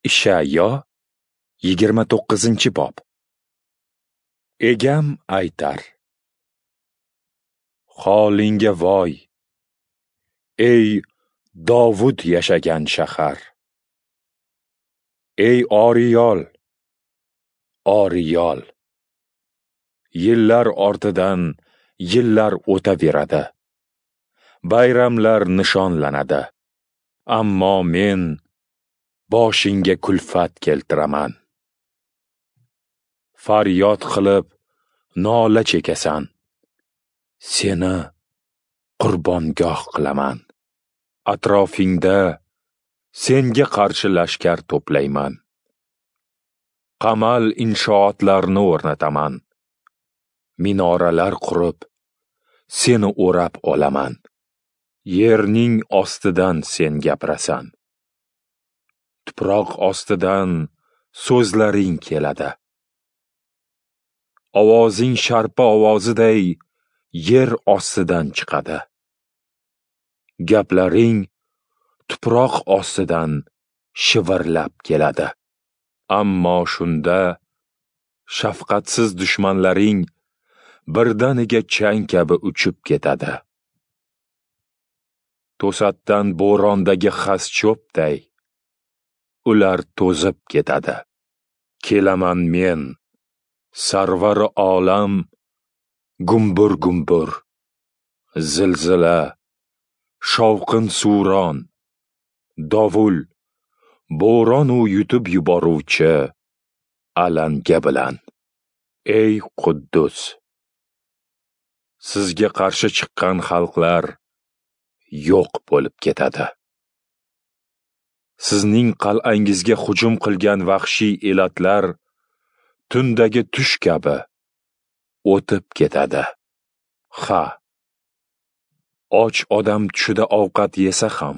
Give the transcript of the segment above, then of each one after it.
Ishayo 29-bob. Egam aytar: Holingga voy, ey Dovud yashagan shahar! Ey Oriyol, Oriyol! Yillar ortidan yillar o'taveradi. Bayramlar nishonlanadi. Ammo men boshingga kulfat keltiraman. Faryod qilib nola chekasan. Seni qurbongoh qilaman. Atrofingda senga qarshi lashkar to'playman. Qamal inshootlarni o'rnataman. Minoralar qurib, seni o'rab olaman. Yerning ostidan sen gapirasan. Tuproq ostidan so'zlaring keladi. Ovozing sharpa ovoziday yer ostidan chiqadi. Gaplaring tuproq ostidan shivirlab keladi. Ammo shunda shafqatsiz dushmanlaring birdaniga chang kabi uchib ketadi. To'satdan bo'rondagi xas cho'pday ular to'zib ketadi. Kelaman men, sarvari olam, gumbur-gumbur, zilzila, shovqin-suron, dovul, bo'ron u yutib yuboruvchi alanga bilan. Ey Quddus! Sizga qarshi chiqqan xalqlar yo'q bo'lib ketadi. Sizning qal'angizga hujum qilgan vahshiy elatlar tundagi tush kabi o'tib ketadi. Ha, och odam tushida ovqat yesa ham,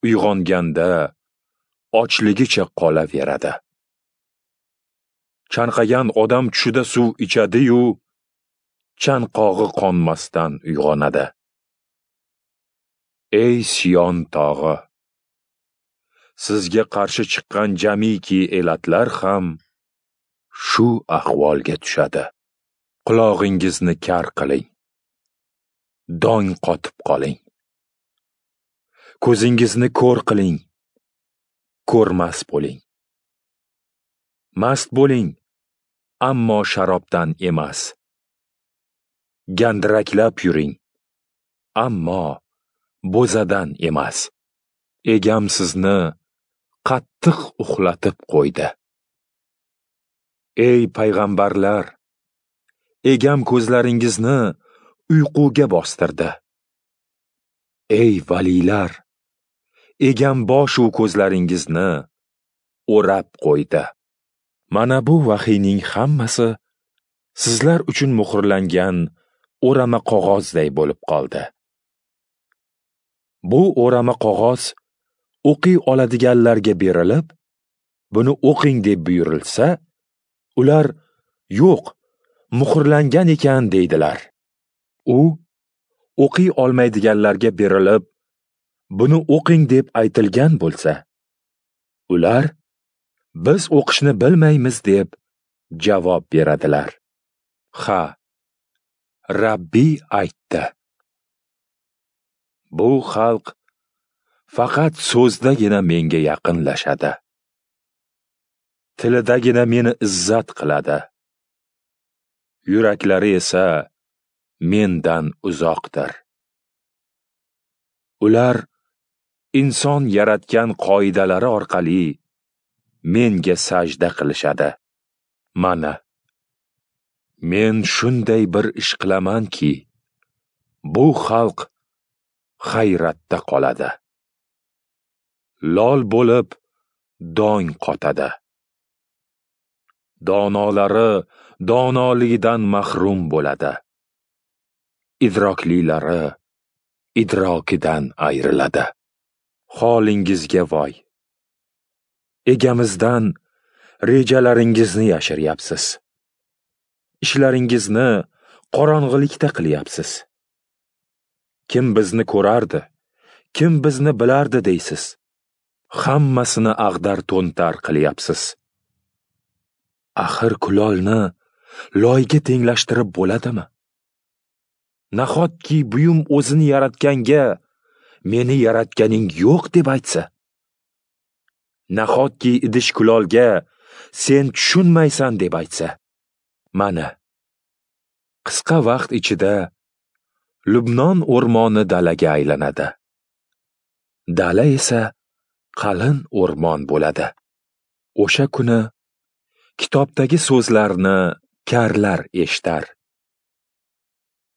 uyg'onganda ochligicha qolaveradi. Chanqagan odam tushida suv ichadi-yu, chanqog'i qonmasdan uyg'onadi. Ey Sion tog'i! Sizga qarshi chiqqan jamiki elatlar ham shu ahvolga tushadi. Qulog'ingizni kar qiling. Dong qotib qoling. Ko'zingizni ko'r qiling. Ko'rmas bo'ling. Mast bo'ling, ammo sharobdan emas. Gandiraklab yuring, ammo bo'zadan emas. Egam sizni qattiq uxlatib qo'ydi. Ey payg'ambarlar, egam ko'zlaringizni uyquga bostirdi. Ey valiylar, egam boshu ko'zlaringizni o'rab qo'ydi. Mana bu vahiyning hammasi sizlar uchun muhrlangan o'rama qog'ozday bo'lib qoldi. Bu o'rama qog'oz o'qiy oladiganlarga berilib, buni o'qing deb buyurilsa, ular yo'q, muhrlangan ekan deydilar. U o'qiy olmaydiganlarga berilib, buni o'qing deb aytilgan bo'lsa, ular biz o'qishni bilmaymiz deb javob beradilar. Ha, Rabbiy aytdi. Bu xalq faqat so'zdagina menga yaqinlashadi. Tilidagina meni izzat qiladi. Yuraklari esa mendan uzoqdir. Ular inson yaratgan qoidalari orqali menga sajda qilishadi. Mana, men shunday bir ish qilamanki, bu xalq hayratda qoladi. Lol bo'lib dong qotadi. Donolari donoligidan mahrum bo'ladi. Idroklilari idrokidan ayriladi. Holingizga voy! Egamizdan rejalaringizni yashiryapsiz. Ishlaringizni qorong'ilikda qilyapsiz. Kim bizni ko'rardi, kim bizni bilardi deysiz. Hammasini ag'dar-to'ntar qilyapsiz. Axir kulolni loyga tenglashtirib bo'ladimi? Nahotki buyum o'zini yaratganga meni yaratganing yo'q deb aytsa? Nahotki idish kulolga sen tushunmaysan deb aytsa? Mana, qisqa vaqt ichida Lubnon o'rmoni dalaga aylanadi. Dala esa qalin o'rmon bo'ladi. O'sha kuni kitobdagi so'zlarni karlar eshitar.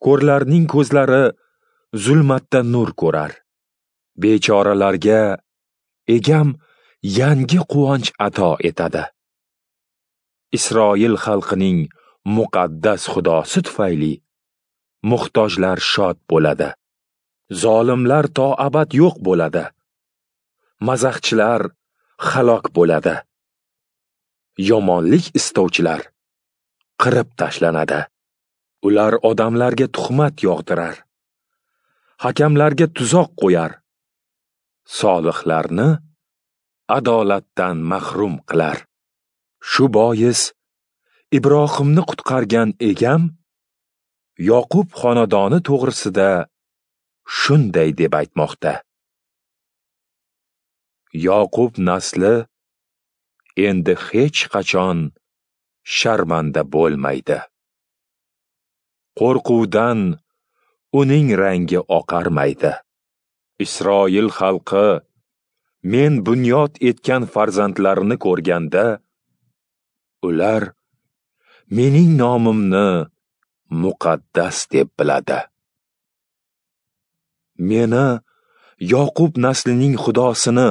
Ko'rlarning ko'zlari zulmatda nur ko'rar. Bechoralarga Egam yangi quvonch ato etadi. Isroil xalqining muqaddas Xudosi tufayli muhtojlar shod bo'ladi. Zolimlar to abad yo'q bo'ladi. Mazaxchilar halok bo'ladi. Yomonlik istovchilar qirib tashlanadi. Ular odamlarga tuhmat yog'dirar. Hakamlarga tuzoq qo'yar. Solihlarni adolatdan mahrum qilar. Shu bois Ibrohimni qutqargan Egam Yoqub xonadoni to'g'risida shunday deb aytmoqda: Yoqub nasli endi hech qachon sharmanda bo'lmaydi. Qo'rquvdan uning rangi oqarmaydi. Isroil xalqi men bunyod etgan farzandlarini ko'rganda, ular mening nomimni muqaddas deb biladi. Meni Yoqub naslining Xudosini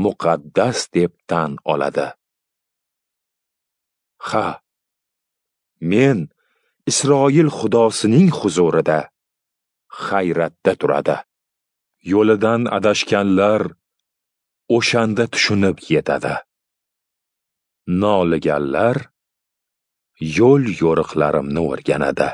muqaddas deb tan oladi. Ha, men Isroil Xudosining huzurida hayratda turadi. Yo'lidan adashganlar o'shanda tushunib yetadi. Noliganlar yo'l yo'riqlarimni o'rganadi.